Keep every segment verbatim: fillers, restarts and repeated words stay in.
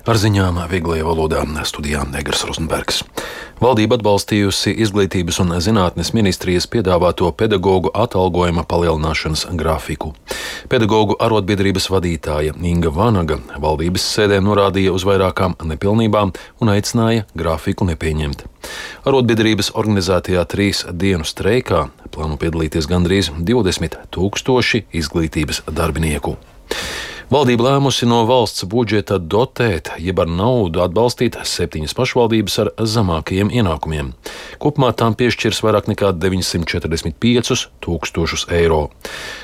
Ar ziņām vieglajā valodā studijā Negras Rozenbergs. Valdība atbalstījusi Izglītības un zinātnes ministrijas piedāvāto pedagogu atalgojuma palielināšanas grafiku. Pedagogu arotbiedrības vadītāja Inga Vanaga valdības sēdē norādīja uz vairākām nepilnībām un aicināja grafiku nepieņemt. Arotbiedrības organizētajā trīs dienu streikā plāno piedalīties gandrīz divdesmit tūkstoši izglītības darbinieku. Valdība lēmusi no valsts budžeta dotēt, jeb ar naudu atbalstīt septiņas pašvaldības ar zemākajiem ienākumiem. Kopumā tām piešķirs vairāk nekā deviņsimt četrdesmit piecus tūkstošus eiro.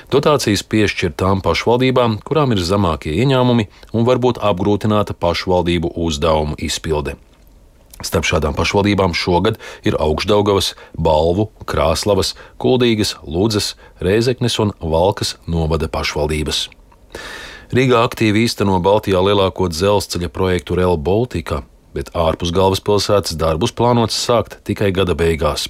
Dotācijas piešķir tām pašvaldībām, kurām ir zemākie ieņēmumi un varbūt apgrūtināta pašvaldību uzdevumu izpilde. Starp šādām pašvaldībām šogad ir Augšdaugavas, Balvu, Krāslavas, Kuldīgas, Ludzas, Rēzeknes un Valkas novada pašvaldības. Rīgā aktīvi īsteno Baltijā lielāko dzelzceļa projektu Rail Baltica, bet ārpus galvaspilsētas darbus plānots sākt tikai gada beigās.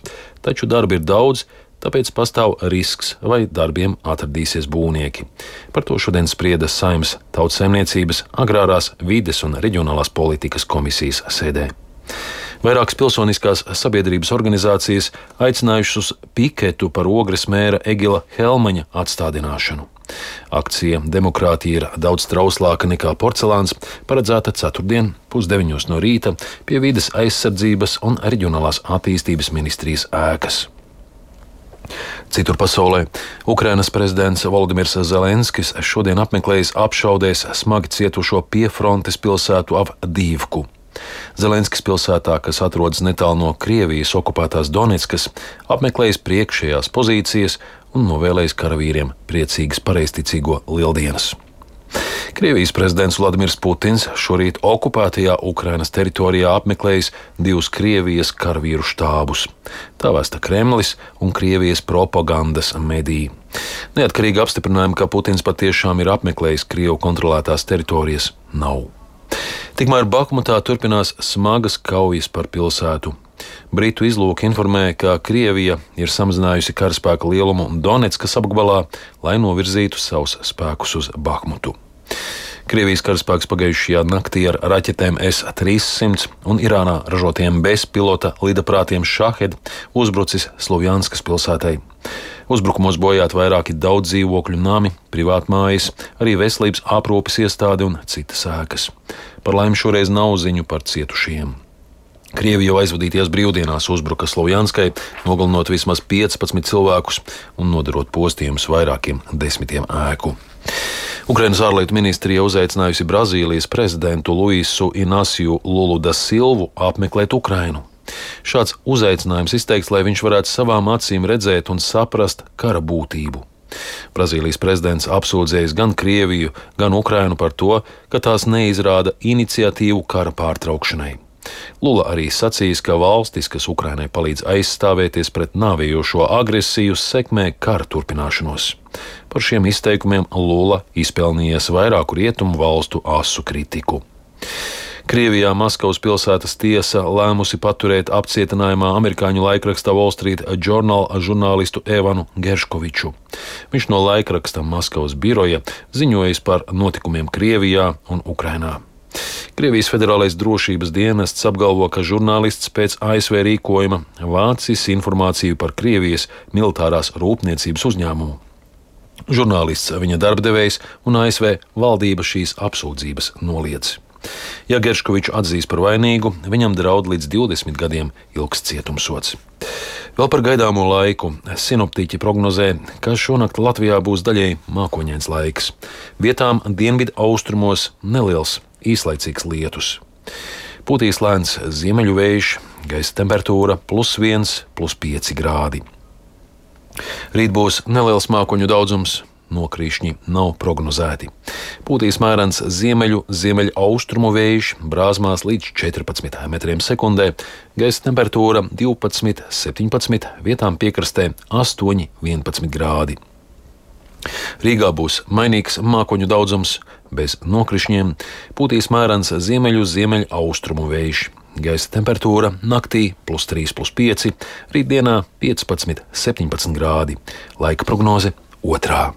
Taču darbi ir daudz, tāpēc pastāv risks, vai darbiem atradīsies būvnieki. Par to šodien sprieda Saeimas Tautsaimniecības, Agrārās, Vides un Reģionālās politikas komisijas sēdē. Vairākas pilsoniskās sabiedrības organizācijas aicinājušas uz piketu par Ogres mēra Egila Helmaņa atstādināšanu. Akcija Demokrātija ir daudz trauslāka nekā porcelāns paredzēta ceturtdien pusdeviņos no rīta pie Vides aizsardzības un Reģionālās attīstības ministrijas ēkas. Citur pasaulē Ukrainas prezidents Volodimirs Zelenskis šodien apmeklējis apšaudēs smagi cietušo piefrontes pilsētu Avdīvku. Zelenskis pilsētā, kas atrodas netālu no Krievijas okupētās Donetskas, apmeklējis priekšējās pozīcijas un novēlējis karavīriem priecīgas pareizticīgo lieldienas. Krievijas prezidents Vladimirs Putins šorīt okupētajā Ukrainas teritorijā apmeklējis divus Krievijas karavīru štābus. Tā vēsta Kremlis un Krievijas propagandas mediji. Neatkarīgi apstiprinājumi, ka Putins patiešām ir apmeklējis Krievu kontrolētās teritorijas, nav. Tikmēr Bahmutā turpinās smagas kaujas par pilsētu. Britu izlūki informē, ka Krievija ir samazinājusi karaspēka lielumu Donetskas apgabalā, lai novirzītu savus spēkus uz Bahmutu. Krievijas karaspēks pagājušajā naktī ar raķetēm S trīssimt un Irānā ražotiem bezpilota lidaprātiem Šahed uzbrucis Slovjanskas pilsētai. Uzbrukumos bojāt vairāki daudz dzīvokļu nami, privātmājas, arī veselības aprūpes iestāde un citas ēkas. Par laimi šoreiz nav ziņu par cietušiem. Krievija jau aizvadītajās brīvdienās uzbruka Slovjanskai, nogalinot vismaz piecpadsmit cilvēkus un nodarot postījumus vairākiem desmitiem ēku. Ukrainas ārlietu ministrija uzaicinājusi Brazīlijas prezidentu Luisu Inasiju Lulu da Silvu apmeklēt Ukrainu. Šāds uzaicinājums izteikts, lai viņš varētu savām acīm redzēt un saprast kara būtību. Brazīlijas prezidents apsūdzējis gan Krieviju, gan Ukrainu par to, ka tās neizrāda iniciatīvu kara pārtraukšanai. Lula arī sacījis, ka valstis, kas Ukrainai palīdz aizstāvēties pret nāvējošo agresiju, sekmē kara turpināšanos. Par šiem izteikumiem Lula izpelnījies vairāku rietumu valstu asu kritiku. Krievijā Maskavas pilsētas tiesa lēmusi paturēt apcietinājumā amerikāņu laikraksta Wall Street Journal žurnālistu Evanu Gerškoviču. Viņš no laikraksta Maskavas biroja ziņojis par notikumiem Krievijā un Ukrainā. Krievijas federālais drošības dienests apgalvo, ka žurnālists pēc A S V rīkojuma vācis informāciju par Krievijas militārās rūpniecības uzņēmumu. Žurnālists, viņa darbdevējs un A S V valdība šīs apsūdzības noliedz. Ja Gerškoviču atzīs par vainīgu, viņam draud līdz divdesmit gadiem ilgs cietumsods. Vēl par gaidāmo laiku. Sinoptiķi prognozē, ka šonakt Latvijā būs daļēji mākoņains laiks. Vietām dienvidu austrumos neliels īslaicīgs lietus. Pūtīs lēns ziemeļu vējš, gaisa temperatūra plus viens, plus pieci grādi. Rīt būs neliels mākoņu daudzums, nokrīšņi nav prognozēti. Pūtīs mērens ziemeļu, ziemeļu austrumu vējš, brāzmās līdz četrpadsmit metriem sekundē, gaisa temperatūra divpadsmit, septiņpadsmit, vietām piekrastē astoņi, vienpadsmit grādi. Rīgā būs mainīgs mākoņu daudzums, bez nokrišņiem, pūtīs mērens ziemeļu, ziemeļu austrumu vējš. Gaisa temperatūra naktī plus trīs, plus pieci, rītdienā piecpadsmit, septiņpadsmit grādi. Laika prognoze otrā.